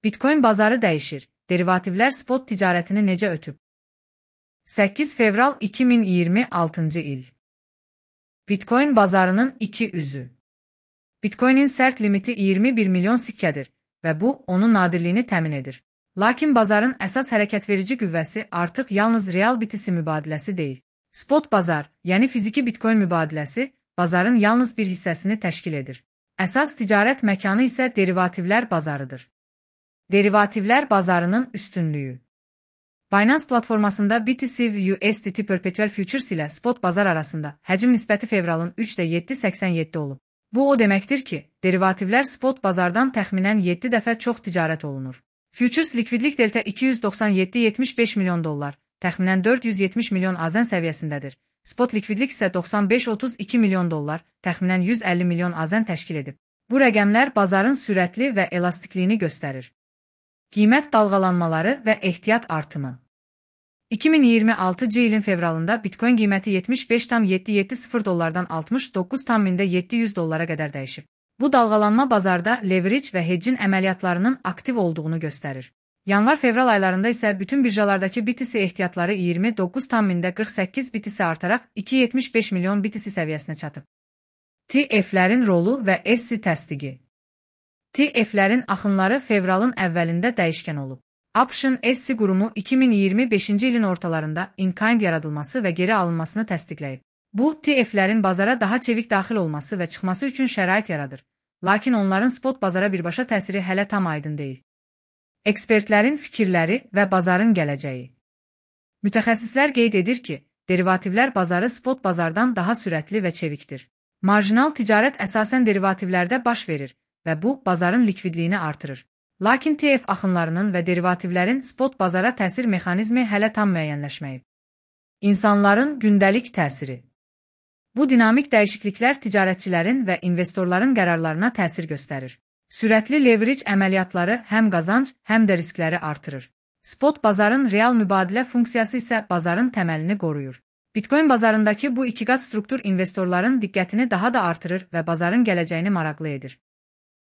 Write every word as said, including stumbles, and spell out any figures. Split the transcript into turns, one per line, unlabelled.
Bitcoin bazarı dəyişir. Derivativlər spot ticarətini necə ötüb? səkkiz fevral iki min iyirmi altıncı il. Bitcoin bazarının iki üzü. Bitcoinin sərt limiti iyirmi bir milyon sikkədir və bu, onun nadirliyini təmin edir. Lakin bazarın əsas hərəkətverici qüvvəsi artıq yalnız real B T C mübadiləsi deyil. Spot bazar, yəni fiziki Bitcoin mübadiləsi, bazarın yalnız bir hissəsini təşkil edir. Əsas ticarət məkanı isə derivativlər bazarıdır. Derivativlər bazarının üstünlüyü. Binance platformasında B T C U S D T Perpetual Futures ilə spot bazar arasında həcm nisbəti fevralın üçdə yeddi səksən yeddi olub. Bu o deməkdir ki, derivativlər spot bazardan təxminən yeddi dəfə çox ticarət olunur. Futures likvidlik delta iki yüz doxsan yeddi yetmiş beş milyon dollar, təxminən dörd yüz yetmiş milyon azən səviyyəsindədir. Spot likvidlik isə doxsan beş otuz iki milyon dollar, təxminən yüz əlli milyon azən təşkil edib. Bu rəqəmlər bazarın sürətli və elastikliyini göstərir. Qiymət dalğalanmaları və ehtiyat artımı. iki min iyirmi altıncı ilin fevralında Bitcoin qiyməti yetmiş beş tam yeddi yeddi sıfır dollardan altmış doqquz tam yeddi yüz dollara qədər dəyişib. Bu dalğalanma bazarda leverage və hedgin əməliyyatlarının aktiv olduğunu göstərir. Yanvar-fevral aylarında isə bütün birjalardakı B T C ehtiyatları iyirmi doqquz tam qırx səkkiz B T C artaraq iki yetmiş beş milyon B T C səviyyəsinə çatıb. T F'lərin rolu və S C təsdiqi. T F'lərin axınları fevralın əvvəlində dəyişkən olub. Option S C qurumu iki min iyirmi beşinci ilin ortalarında in-kind yaradılması və geri alınmasını təsdiqləyib. Bu, T F'lərin bazara daha çevik daxil olması və çıxması üçün şərait yaradır. Lakin onların spot bazara birbaşa təsiri hələ tam aydın deyil. Ekspertlərin fikirləri və bazarın gələcəyi. Mütəxəssislər qeyd edir ki, derivativlər bazarı spot bazardan daha sürətli və çevikdir. Marjinal ticarət əsasən derivativlərdə baş verir və bu, bazarın likvidliyini artırır. Lakin T F axınlarının və derivativlərin spot bazara təsir mexanizmi hələ tam müəyyənləşməyib. İnsanların gündəlik təsiri. Bu dinamik dəyişikliklər ticarətçilərin və investorların qərarlarına təsir göstərir. Sürətli leverage əməliyyatları həm qazanc, həm də riskləri artırır. Spot bazarın real mübadilə funksiyası isə bazarın təməlini qoruyur. Bitcoin bazarındakı bu iki qat struktur investorların diqqətini daha da artırır və bazarın gələcəyini maraqlı edir.